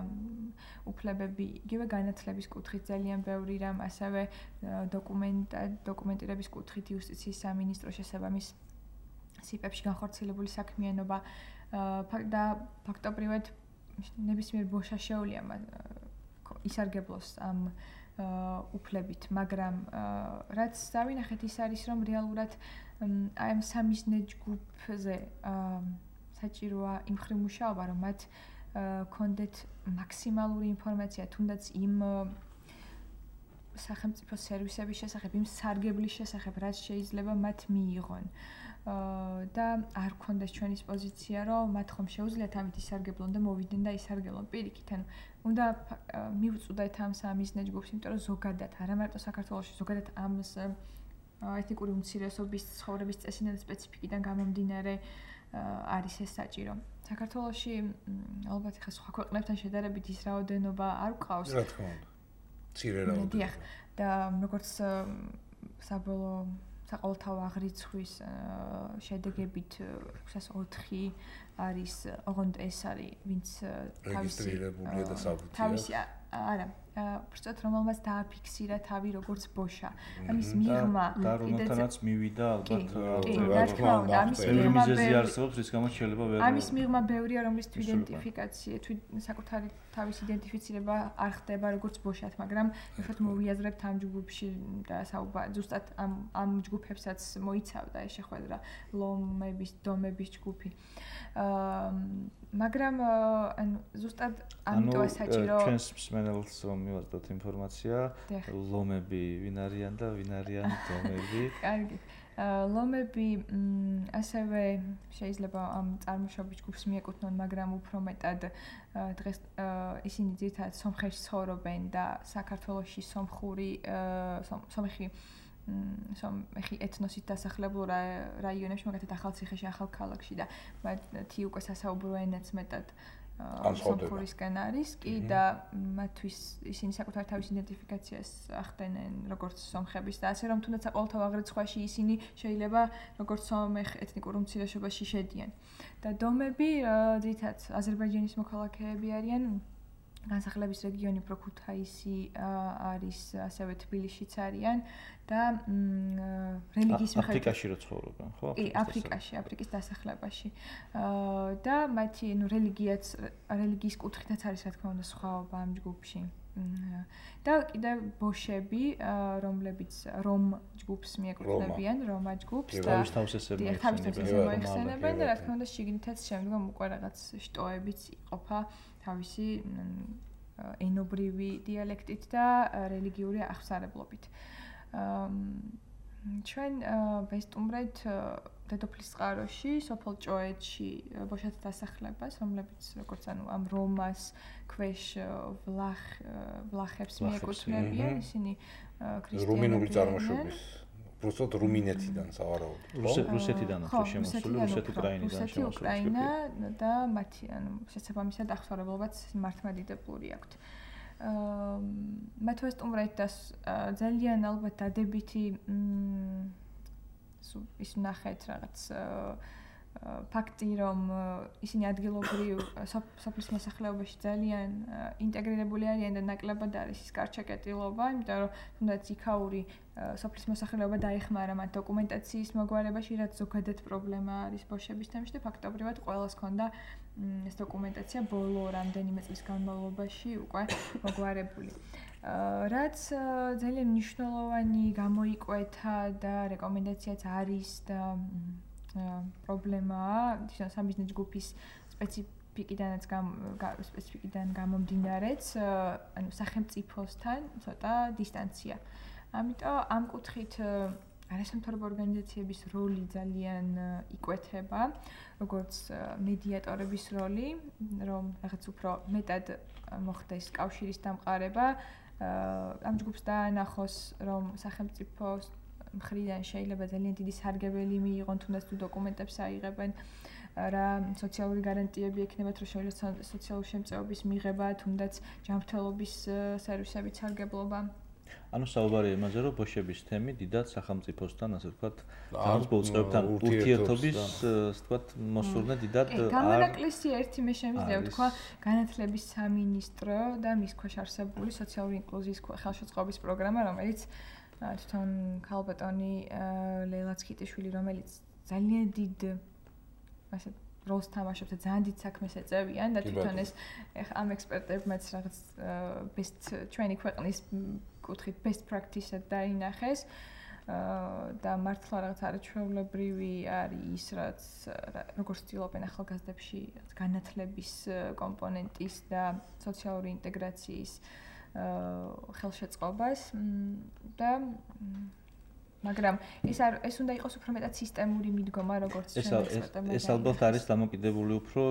უფლებები, იგივე განათლების კუთხით ძალიან ბევრი რამ, ასევე დოკუმენტა დოკუმენტირების კუთხით იუსტიციის სამინისტროს შესაბამის სიპებში განხორციელებული საქმიანობა და ფაქტობრივად ნებისმიერ ბოშა შეუძლია ისარგებლოს ამ უფლებით, მაგრამ რაც დავინახეთ ის არის, რომ რეალურად აი ამ სამიზნე ჯგუფზე საჭიროა იმ ხრი მუშაობა, რომ მათ კონდეთ მაქსიმალური ინფორმაცია თუნდაც იმ სახელმწიფო სერვისების შესახებ, იმ სარგებლის შესახებ, რაც შეიძლება მათ მიიღონ. და არ გქონდეს ჩვენის პოზიცია, რომ მათ ხომ შეუძლიათ ამით ისარგებლონ და მოვიდნენ და ისარგებლონ პირიქით. ანუ უნდა მივწუდეთ ამ სამიზნე ჯგუფს, იმიტომ რომ ზოგადად, არა მარტო საქართველოში, ზოგადად ამ ეთნიკური უმცირესობის ცხოვრების წესიდან და სპეციფიკიდან გამომდინარე არის ეს საჭირო. საქართველოში ალბათ ხა სხვა ქვეყნებთან შედარებით ის რაოდენობა არ გვყავს. რა თქმა უნდა. მცირე რაოდენობა. და როგორც საბოლოო საყოველთაო აღრიცხვის შედეგებით ექვსას ოთხი არის, ოღონდ ეს არის, ვინც რეგისტრირებულია და საბუთია. თავისი არა, უბრალოდ რომელმაც დააფიქსირა თავი როგორც ბოშა. ამის მიღმა და რომელთანაც მივიდა ალბათ რა თქმა უნდა, ამის მიღმა მიზეზი არსებობს, რის გამოც შეიძლება ვერ ამის მიღმა ბევრია, რომლის თვითიდენტიფიკაცია, თვით საკუთარი თავის იდენტიფიცირება არ ხდება როგორც ბოშად, მაგრამ ეხლა მოვიაზრებთ ამ ჯგუფში და საუბარი ზუსტად ამ ამ ჯგუფებსაც მოიცავდა ეს შეხვედრა, ლომების, დომების ჯგუფი. აა მაგრამ ანუ ზუსტად ამიტოა საჭირო ჩვენს მსმენელს რომ მივაწოდოთ ინფორმაცია, ლომები ვინ არიან და ვინ არიან დომები? კარგი. ლომები ასევე შეიძლება ამ წარმოშობის ჯგუფს მიეკუთვნონ, მაგრამ უფრო მეტად დღეს ისინი ძირითადად სომხეთში ცხოვრობენ და საქართველოში სომხური სომხი სომხი ეთნოსით დასახლებულ რაიონებში, მაგალითად ახალციხეში, ახალქალაქში და მათი უკვე სასაუბრო ენაც მეტად სომხურისკენ არის კი და მათთვის ისინი საკუთარ თავის იდენტიფიკაციას ახდენენ როგორც სომხების და ასე რომ თუნდაც საყოველთაო აღრიცხვაში ისინი შეიძლება როგორც სომეხ ეთნიკურ უმცირესობაში შედიან. და დომები ძირითადად აზერბაიჯანის მოქალაქეები არიან. განსახლების რეგიონი უფრო ქუთაისი არის, ასევე თბილისშიც არიან და რელიგიის მიხედვით აფრიკაში რო ცხოვრობენ, ხო? კი, აფრიკაში, აფრიკის დასახლებაში. და მათი, ნუ რელიგიაც, რელიგიის კუთხითაც არის, რა თქმა უნდა, სხვაობა ამ ჯგუფში. და კიდევ ბოშები, რომლებიც რომ ჯგუფს მიეკუთვნებიან, რომა ჯგუფს და თავისთავად მოიხსენებენ და რა თქმა უნდა შიგნითაც შემდგომ უკვე რაღაც შტოებიც იყოფა თავისი ენობრივი დიალექტით და რელიგიური აღსარებლობით. ჩვენ ვესტუმრეთ დედოფლის წყაროში, სოფელ ჭოეთში ბოშათა დასახლებას, რომლებიც როგორც ანუ ამ რომას ქვეშ ვლახ ვლახებს მიეკუთვნებიან, ისინი ქრისტიანები. რუმინული წარმოშობის. უბრალოდ რუმინეთიდან სავარაუდოდ. რუსეთიდან ხო შემოსული, რუსეთ-უკრაინიდან შემოსული. რუსეთი-უკრაინა და მათი ანუ შესაბამისად აღსარებლობაც მართლმადიდებლური აქვთ. აა მათ ვესტუმრეთ და ძალიან ალბათ დადებითი ის ნახეთ რაღაც ფაქტი რომ ისინი ადგილობრივ სოფლის მოსახლეობაში ძალიან ინტეგრირებული არიან და ნაკლებად არის ის კარჩაკეტილობა, იმიტომ რომ თუნდაც იქაური სოფლის მოსახლეობა დაეხმარა მათ დოკუმენტაციის მოგვარებაში, რაც ზოგადად პრობლემა არის ბოშების თემში და ფაქტობრივად ყველას ჰქონდა ეს დოკუმენტაცია ბოლო რამდენიმე წლის განმავლობაში უკვე მოგვარებული. რაც ძალიან მნიშვნელოვანი გამოიკვეთა და რეკომენდაციაც არის და პრობლემაა ისე სამიზნე ჯგუფის სპეციფიკიდანაც სპეციფიკიდან გამომდინარეც, ანუ სახელმწიფოსთან ცოტა დისტანცია. ამიტომ ამ კუთხით არასამთავრობო ორგანიზაციების როლი ძალიან იკვეთება, როგორც მედიატორების როლი, რომ რაღაც უფრო მეტად მოხდეს კავშირის დამყარება, ამ ჯგუფს დაანახოს, რომ სახელმწიფოს მხრიდან შეიძლება ძალიან დიდი სარგებელი მიიღონ, თუნდაც თუ დოკუმენტებს აიღებენ, რა სოციალური გარანტიები ექნებათ, რომ შეიძლება სოციალური შემწეობის მიღება, თუნდაც ჯანმრთელობის სერვისებით სარგებლობა. ანუ საუბარია იმაზე, რომ ბოშების თემი დიდად სახელმწიფოსთან, ასე ვთქვათ, თანხმობის უწყებთან ურთიერთობის, ასე ვთქვათ, მოსურნე დიდად არ გამონაკლისი ერთი მე შემიძლია ვთქვა, განათლების სამინისტრო და მის ქვეშ არსებული სოციალური ინკლუზიის ხელშეწყობის პროგრამა, რომელიც თვითონ ქალბატონი ლეილა ცქიტიშვილი, რომელიც ძალიან დიდ ასე როლს თამაშობს და ძალიან დიდ საქმეს ეწევიან და თვითონ ეს ამ ექსპერტებმაც რაღაც best ჩვენი ქვეყნის კუთხით best practice-ად დაინახეს და მართლა რაღაც არაჩვეულებრივი არის ის, რაც როგორც ცდილობენ ახალგაზრდებში განათლების კომპონენტის და სოციალური ინტეგრაციის ხელშეწყობას და მაგრამ ეს არ ეს უნდა იყოს უფრო მეტად სისტემური მიდგომა, როგორც ჩვენ ექსპერტებმა. ეს ალბათ არის დამოკიდებული უფრო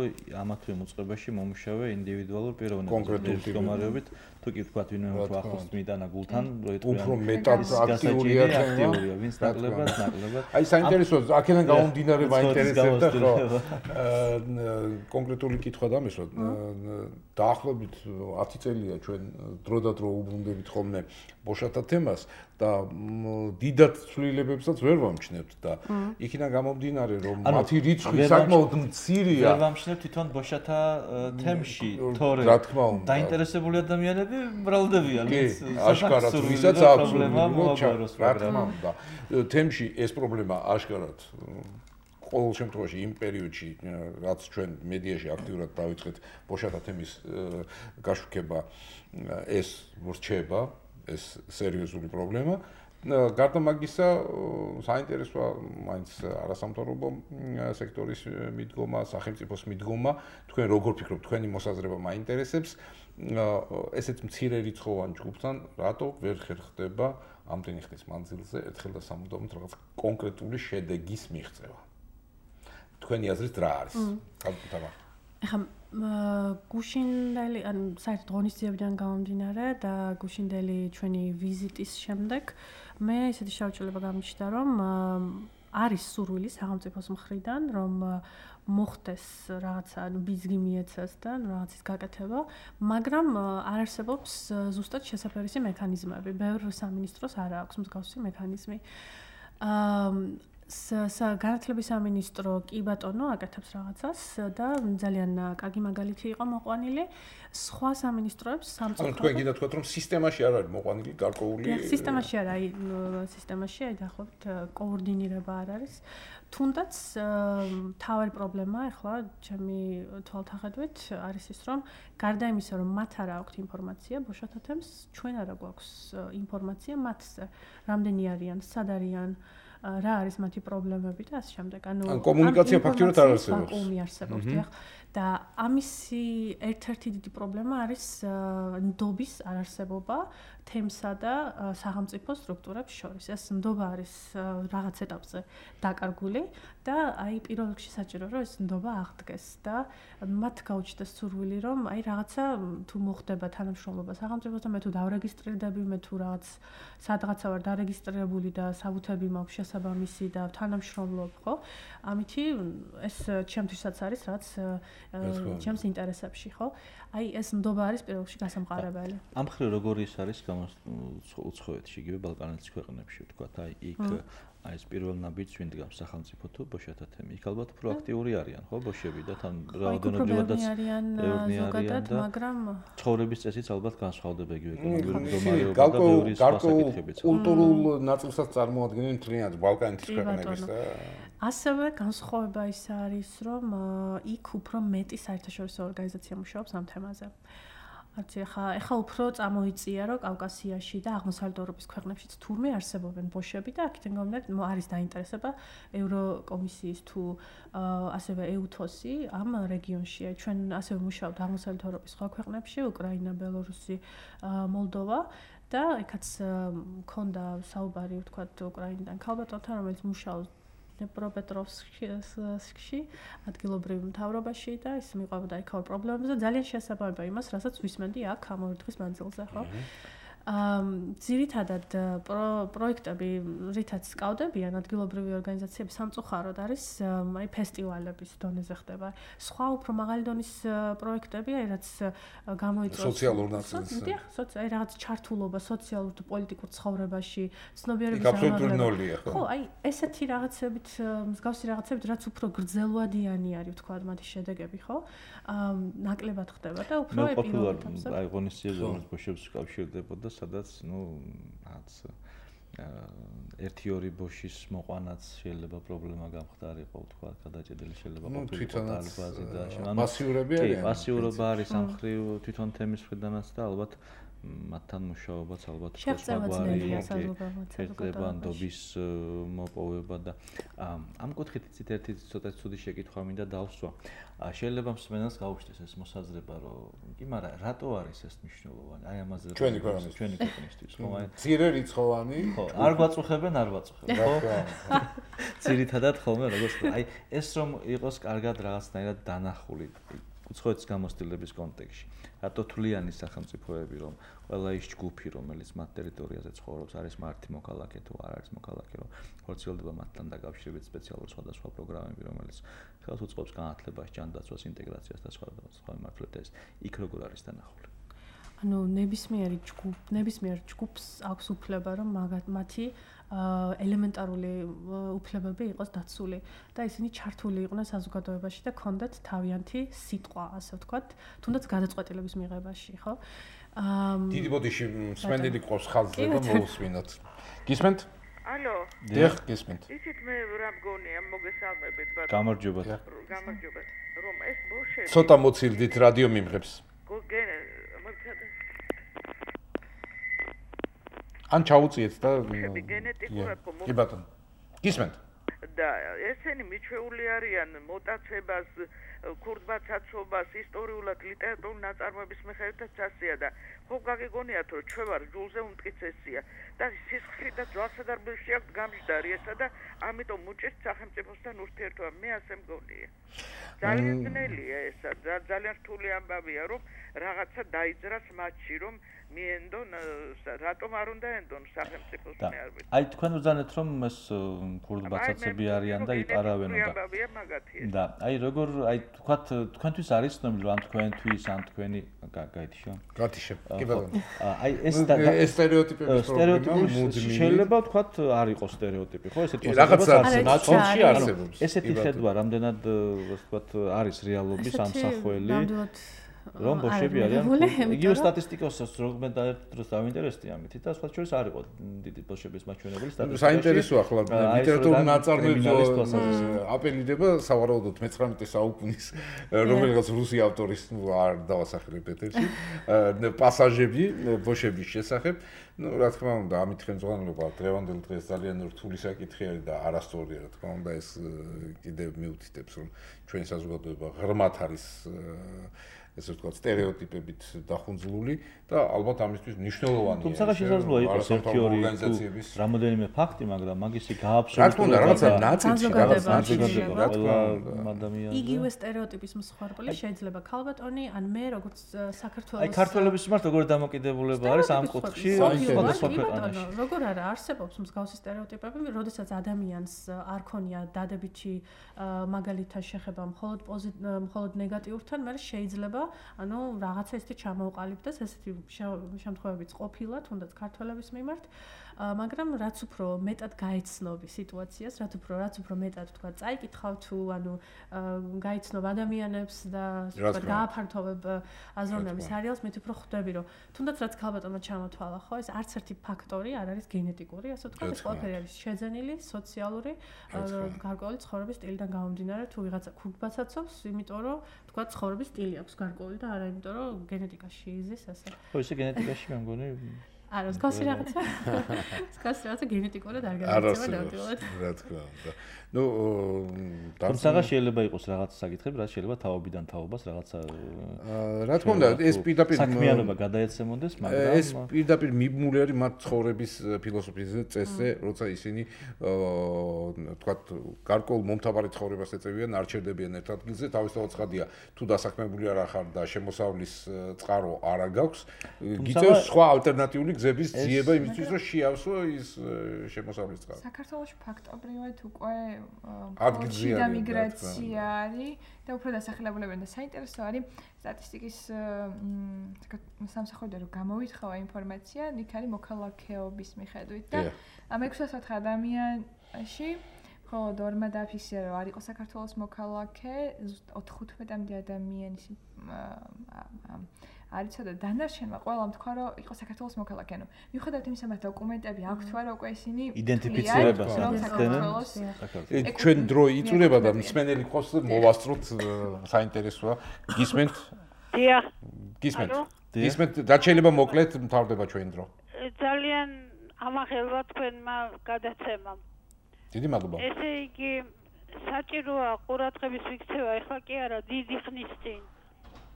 ამა თუ იმ უწყებაში მომუშავე ინდივიდუალურ პიროვნებაზე მდგომარეობით. თუ კი ვთქვათ, ვინმე უფრო ახლოს მიტანა გულთან, რო იტყვიან უფრო მეტად აქტიურია აქტიურია, ვინც ნაკლებად, ნაკლებად. აი საინტერესოა, აქედან გამომდინარე მაინტერესებდა ხო? კონკრეტული კითხვა დამესვა. დაახლოებით ათი წელია ჩვენ დროდადრო უბრუნდებით ხოლმე ბოშათა თემას და დიდად ცვლილებებსაც ვერ ვამჩნევთ და იქიდან გამომდინარე რომ მათი რიცხვი საკმაოდ მცირეა. ვერ ვამჩნევთ თვითონ ბოშათა თემში, თორე დაინტერესებული ადამიანები მრავლდებიან, ვინც აშკარად ვისაც აქვს პრობლემა მოაგვაროს პროგრამა. თემში ეს პრობლემა აშკარად ყოველ შემთხვევაში იმ პერიოდში რაც ჩვენ მედიაში აქტიურად დავიწყეთ ბოშათა თემის გაშუქება ეს ვრჩება, ეს სერიოზული პრობლემა. გარდა მაგისა, საინტერესოა მაინც არასამთავრობო სექტორის მიდგომა, სახელმწიფოს მიდგომა. თქვენ როგორ ფიქრობთ, თქვენი მოსაზრება მაინტერესებს? ესეც მცირე რიცხოვან ჯგუფთან, რატო ვერ ხერხდება ამდენი ხნის მანძილზე ერთხელ და სამუდამოდ რაღაც კონკრეტული შედეგის მიღწევა? თქვენი აზრით რა არის? კალკუტავა. ეხლა გუშინდელი, ანუ საერთოდ ღონისძიებიდან გამომდინარე და გუშინდელი ჩვენი ვიზიტის შემდეგ მე ისეთი შევჭრილება გამიჩნდა, რომ არის სურვილი სახელმწიფოს მხრიდან, რომ მოხდეს რაღაცა, ანუ ბიზგი მიეცეს და რაღაცის გაკეთება, მაგრამ არ არსებობს ზუსტად შესაფერისი მექანიზმები. ბევრ სამინისტროს არ აქვს მსგავსი მექანიზმი. აა განათლების სამინისტრო კი ბატონო აკეთებს რაღაცას და ძალიან კარგი მაგალითი იყო მოყვანილი. სხვა სამინისტროებს სამწუხაროდ თქვენ კიდე თქვათ რომ სისტემაში არ არის მოყვანილი გარკვეული სისტემაში არ არის სისტემაში აი დაახლოებით კოორდინირება არ არის. თუნდაც თავი პრობლემა ახლა ჩემი თვალთახედვით არის ის რომ გარდა იმისა რომ მათ არ აქვთ ინფორმაცია ბოშათა თემს ჩვენ არა გვაქვს ინფორმაცია მათზე რამდენი არიან სად არიან რა არის მათი პრობლემები და ასე შემდეგ. ანუ კომუნიკაცია ფაქტიურად არ არსებობს. ვაკუუმი არსებობს, დიახ. და ამისი ერთ-ერთი დიდი პრობლემა არის ნდობის არარსებობა თემსა და სახელმწიფო სტრუქტურებს შორის. ეს ნდობა არის რაღაც ეტაპზე დაკარგული და აი პირველ რიგში საჭირო რომ ეს ნდობა აღდგეს და მათ გაუჩნდეს სურვილი რომ აი რაღაცა თუ მოხდება თანამშრომლობა სახელმწიფოსთან მე თუ დავრეგისტრირდები მე თუ რაღაც სადღაცა ვარ დარეგისტრირებული და საბუთები მაქვს შესაბამისი და თანამშრომლობ, ხო? ამითი ეს ჩემთვისაც არის რაც ჩემს ინტერესებში, ხო? აი ეს ნდობა არის პირველ რიგში გასამყარებელი. ამ მხრივ როგორი ის არის უცხოეთში, იგივე ბალკანეთის ქვეყნებში, ვთქვათ, აი იქ აი ეს პირველ ნაბიჯს ვინ დგამს სახელმწიფო თუ ბოშათა თემი. იქ ალბათ პროაქტიური არიან, ხო, ბოშები და თან რაოდენობრივადაც ევრნი არიან, მაგრამ ცხოვრების წესიც ალბათ განსხვავდება იგივე ეკონომიკური მდგომარეობა და ბევრი სხვა საკითხებიც. კულტურულ ნაწილსაც წარმოადგენენ მთლიანად ბალკანეთის ქვეყნების და ასევე განსხვავება ის არის, რომ იქ უფრო მეტი საერთაშორისო ორგანიზაცია მუშაობს ამ თემაზე. არც ახლა ახლა უფრო წამოიწია რომ კავკასიაში და აღმოსავლეთ ევროპის ქვეყნებშიც თურმე არსებობენ ბოშები და აქედან გამომდინარე არის დაინტერესება ევროკომისიის თუ ასევე ეუთოსი ამ რეგიონში. ჩვენ ასევე მუშაობთ აღმოსავლეთ ევროპის სხვა ქვეყნებში, უკრაინა, ბელორუსი, მოლდოვა და ეხაც მქონდა საუბარი ვთქვათ უკრაინიდან ქალბატონთან რომელიც მუშაობს დნეპროპეტროვსკში ადგილობრივ მთავრობაში და ის მიყვებოდა იქაურ პრობლემებს და ძალიან შეესაბამება იმას, რასაც ვისმენდი აქ ამ ორი დღის მანძილზე, ხო? აა ძირითადად პროექტები, რითაც სკავდებიან ადგილობრივი ორგანიზაციები სამწუხაროდ არის აი ფესტივალების დონეზე ხდება. სხვა უფრო მაღალი დონის პროექტები, აი რაც გამოიწვევს სოციალურ ნაწილს. დიახ, აი რაღაც ჩართულობა სოციალურ და პოლიტიკურ ცხოვრებაში, ცნობიერების ამაღლება. ხო, აი ესეთი რაღაცებით, მსგავსი რაღაცებით, რაც უფრო გრძელვადიანი არის, ვთქვათ, მათი შედეგები, ხო? აა ნაკლებად ხდება და უფრო ეპილოგებს. აი ღონისძიებაზე რომელიც ბოშებს უკავშირდებოდა სადაც ნუ რაც ერთი ორი ბოშის მოყვანაც შეიძლება პრობლემა გამხდარიყო, თქვა, გადაჭედილი შეიძლება ყოფილიყო დალბაზი და ანუ პასიურები არიან. კი, პასიურობა არის ამ მხრივ თვითონ თემის მხრიდანაც და ალბათ მათთან მუშაობაც ალბათ შეღწევაძნელი შეღწევა ნდობის მოპოვება და ამ კუთხით იცით ერთი ცოტა ცუდი შეკითხვა მინდა დავსვა. შეიძლება მსმენელს გაუჩნდეს ეს მოსაზრება, რომ კი, მაგრამ რატო არის ეს მნიშვნელოვანი? აი ამაზე ჩვენი ქვეყნის ჩვენი ქვეყნისთვის, ხო? აი ძირე რიცხოვანი. ხო, არ გვაწუხებენ, არ ვაწუხებენ, ხო? ძირითადად ხოლმე როგორც აი ეს რომ იყოს კარგად რაღაცნაირად დანახული უცხოეთის გამოცდილების კონტექსტში. რატო თვლიანი სახელმწიფოები რომ ყველა ის ჯგუფი რომელიც მათ ტერიტორიაზე ცხოვრობს არის მარტი მოქალაქე თუ არ არის მოქალაქე რომ ხორციელდება მათთან დაკავშირებით სპეციალური სხვადასხვა პროგრამები რომელიც ხელს უწყობს განათლებას, ჯანდაცვას, ინტეგრაციას და სხვა სხვა მიმართულებით იქ როგორ არის დანახული? ანუ ნებისმიერი ჯგუფ, ნებისმიერ ჯგუფს აქვს უფლება რომ მათი ელემენტარული უფლებები იყოს დაცული და ისინი ჩართული იყვნენ საზოგადოებაში და კონდეთ თავიანთი სიტყვა, ასე ვთქვათ, თუნდაც გადაწყვეტილების მიღებაში, ხო? აა დიდი ბოდიში მსმენელი ყავს ხალხზე და მოусმინოთ. გისმენთ? ალო. დიახ, გისმენთ. ისიც მე რა მგონია მოგესალმებით, ბატონო. გამარჯობა. გამარჯობა. რომ ეს ბოშები ცოტა მოცილდით რადიო მიმღებს. ან ჩაუწიეთ და გენეტიკურად კი ბატონო. გისმენთ? და ესენი მიჩვეული არიან მოტაცებას, ქურდმაცაცობას, ისტორიულად ლიტერატურულ ნაწარმოების მიხედვითაც ასეა და ხო გაგიგონიათ რომ ჩვენ ვარ ჯულზე უმტკიცესია და სისხლი და ძვალსადარბებში აქვს გამჯდარი ესა და ამიტომ უჭირთ სახელმწიფოსთან ურთიერთობა. მე ასე მგონია. ძალიან ძნელია ესა, ძალიან რთული ამბავია რომ რაღაცა დაიძრას მათში რომ მიენდონ რატომ არ უნდა ენდონ სახელმწიფოს მე არ ვიცი. აი თქვენ უძანეთ რომ ეს ქურდ ბაცაცები არიან და იპარავენ და აი როგორ აი თქვათ თქვენთვის არის ცნობილი რომ თქვენთვის ან თქვენი გაითიშო გათიშე კი ბატონო აი ეს ეს სტერეოტიპების პრობლემა შეიძლება თქვათ არ იყოს სტერეოტიპი ხო ესეთი რაღაცა ნაციონში არსებობს ესეთი ხედვა რამდენად ვთქვათ არის რეალობის ამ სახველი რომ ბოშები არიან იგივე სტატისტიკასაც როგმე და ერთ დროს დავინტერესდი ამით და სხვა შორის არ იყო დიდი ბოშების მაჩვენებელი სტატისტიკა საინტერესო ახლა ლიტერატურული ნაწარმოები აპელირდება სავარაუდოდ მეცხრამეტე საუკუნის რომელიღაც რუსი ავტორის არ დავასახელებ ეთერში პასაჟები ბოშების შესახებ ну რა თქმა უნდა ამით ხელმძღვანელობა დღევანდელ დღეს ძალიან რთული საკითხი არის და არასწორია რა თქმა უნდა ეს კიდევ მიუთითებს რომ ჩვენი საზოგადოება ღრმად არის ესე ვთქვათ სტერეოტიპებით დახუნძლული და ალბათ ამისთვის მნიშვნელოვანია თუმცა შესაძლოა იყოს ერთი ორი რამოდენიმე ფაქტი მაგრამ მაგისი გააბსოლუტურად რა თქმა უნდა რაღაცა ნაწილი რაღაც ნაწილი რა თქმა უნდა იგივე სტერეოტიპის მსხვერპლი შეიძლება ქალბატონი ან მე როგორც საქართველოს აი ქართველების მიმართ როგორი დამოკიდებულება არის ამ კუთხეში სხვადასხვა ქვეყანაში როგორ არა არსებობს მსგავსი სტერეოტიპები როდესაც ადამიანს არ ქონია დადებითი მაგალითად შეხება მხოლოდ მხოლოდ ნეგატიურთან მე შეიძლება ანუ რაღაცა ისეთი ჩამოუყალიბდეს ესეთი შემთხვევებიც ყოფილა თუნდაც ქართველების მიმართ მაგრამ რაც უფრო მეტად გაეცნობი სიტუაციას რაც უფრო რაც უფრო მეტად თქვა წაიკითხავ თუ ანუ გაეცნობ ადამიანებს და თქვა გააფართოვებ აზროვნების არეალს მე უფრო ხვდები რომ თუნდაც რაც ქალბატონმა ჩამოთვალა ხო ეს არც ერთი ფაქტორი არ არის გენეტიკური ასე ვთქვა ეს ყველაფერი არის შეძენილი სოციალური გარკვეული ცხოვრების სტილიდან გამომდინარე თუ ვიღაცა ქურდბაცაცობს იმიტომ რომ თქვა ცხოვრების სტილი აქვს გარკვეული და არა იმიტომ რომ გენეტიკაში იზის ასე ხო ისე გენეტიკაში მე მგონი არა, სკასი რაღაცა. სკასი რაღაცა გენეტიკურად არ გადაიცემა ნამდვილად. რა თქმა უნდა. ნუ თუმცა შეიძლება იყოს რაღაცა საკითხები, რაც შეიძლება თაობიდან თაობას რაღაცა რა თქმა უნდა, ეს პირდაპირ საქმიანობა გადაეცემოდეს, მაგრამ ეს პირდაპირ მიბმული არის მათ ცხოვრების ფილოსოფიაზე, წესზე, როცა ისინი თქვათ გარკვეულ მომთაბარე ცხოვრებას ეწევიან, არ ჩერდებიან ერთ ადგილზე, თავისთავად ცხადია, თუ დასაქმებული არ ახარ და შემოსავლის წყარო არ აქვს, გიწევს სხვა ალტერნატიული გზების ძიება იმისთვის, რომ შეავსო ის შემოსავლის წყარო. საქართველოში ფაქტობრივად უკვე ადგილზეა და მიგრაცია არის და უფრო დასახელებულებიან და საინტერესო არის სტატისტიკის სამსახურიდან რომ გამოვითხოვა ინფორმაცია, იქ არის მოქალაქეობის მიხედვით და ამ ექვსმოცდაოთხ ადამიანში მხოლოდ ორმა დააფიქსირა რომ არ იყო საქართველოს მოქალაქე, ოთხმოცდათხუთმეტი ადამიანის არიცოდა დანარჩენმა ყველამ თქვა რომ იყო საქართველოს მოქალაქე. ანუ მიუხედავად იმისა, მათ დოკუმენტები აქვს თუ არა უკვე ისინი იდენტიფიცირებას ახდენენ. ჩვენ დრო იწურება და მსმენელი ყავს მოვასწროთ საინტერესოა. გისმენთ? დიახ. გისმენთ. გისმენთ, და შეიძლება მოკლედ მთავრდება ჩვენ დრო. ძალიან ამახელვა თქვენმა გადაცემამ. დიდი მადლობა. ესე იგი საჭიროა ყურადღების მიქცევა ახლა კი არა დიდი ხნის წინ.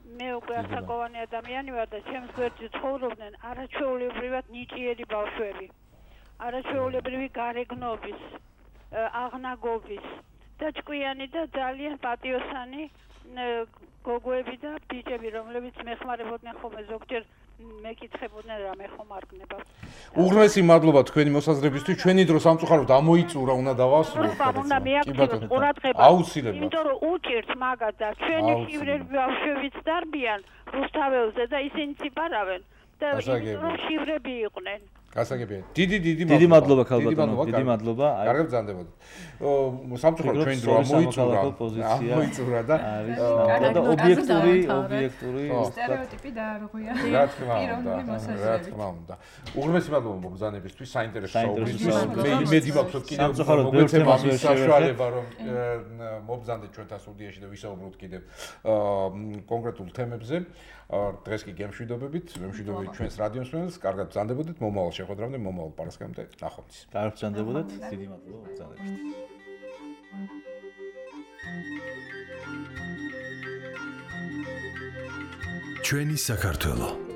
მე უკვე ასაკოვანი ადამიანი ვარ და ჩემს გვერდზე ცხოვრობდნენ არაჩვეულებრივად ნიჭიერი ბავშვები. არაჩვეულებრივი გარეგნობის, აღნაგობის და ჭკვიანი და ძალიან პატიოსანი გოგოები და ბიჭები, რომლებიც მეხმარებოდნენ ხოლმე ზოგჯერ მეკითხებოდნენ რა მე ხომ არ გნება. უღრმესი მადლობა თქვენი მოსაზრებისთვის. ჩვენი დრო სამწუხაროდ ამოიწურა, უნდა დავასრულოთ. უნდა მიაქცევოს ყურადღება. აუცილებლად. იმიტომ რომ უჭირთ მაგათ და ჩვენი შივრები ბავშვებიც დარბიან რუსთაველზე და ისინი ციპარავენ და იმიტომ რომ შივრები იყვნენ. გასაგებია. დიდი დიდი მადლობა. დიდი მადლობა ქალბატონო, დიდი მადლობა. კარგად ბრძანდებოდეთ. სამწუხაროდ ჩვენ დრო ამოიწურა. ამოიწურა და და ობიექტური, ობიექტური სტერეოტიპი დაარღვია. რა თქმა უნდა, რა თქმა უნდა. უღრმესი მადლობა მოგზანებისთვის, საინტერესო საუბრისთვის. მე იმედი მაქვს, რომ კიდევ მოგეცემა ამის საშუალება, რომ მობზანდეთ ჩვენთან სტუდიაში და ვისაუბროთ კიდევ კონკრეტულ თემებზე. დღეს კი გემშვიდობებით, გემშვიდობებით ჩვენს რადიო მსმენელს, კარგად ბრძანდებოდეთ, მომავალ შეხვედრამდე, მომავალ პარასკევამდე ნახვამდის. კარგად ბრძანდებოდეთ, დიდი მადლობა ბრძანებისთვის. ჩვენი საქართველო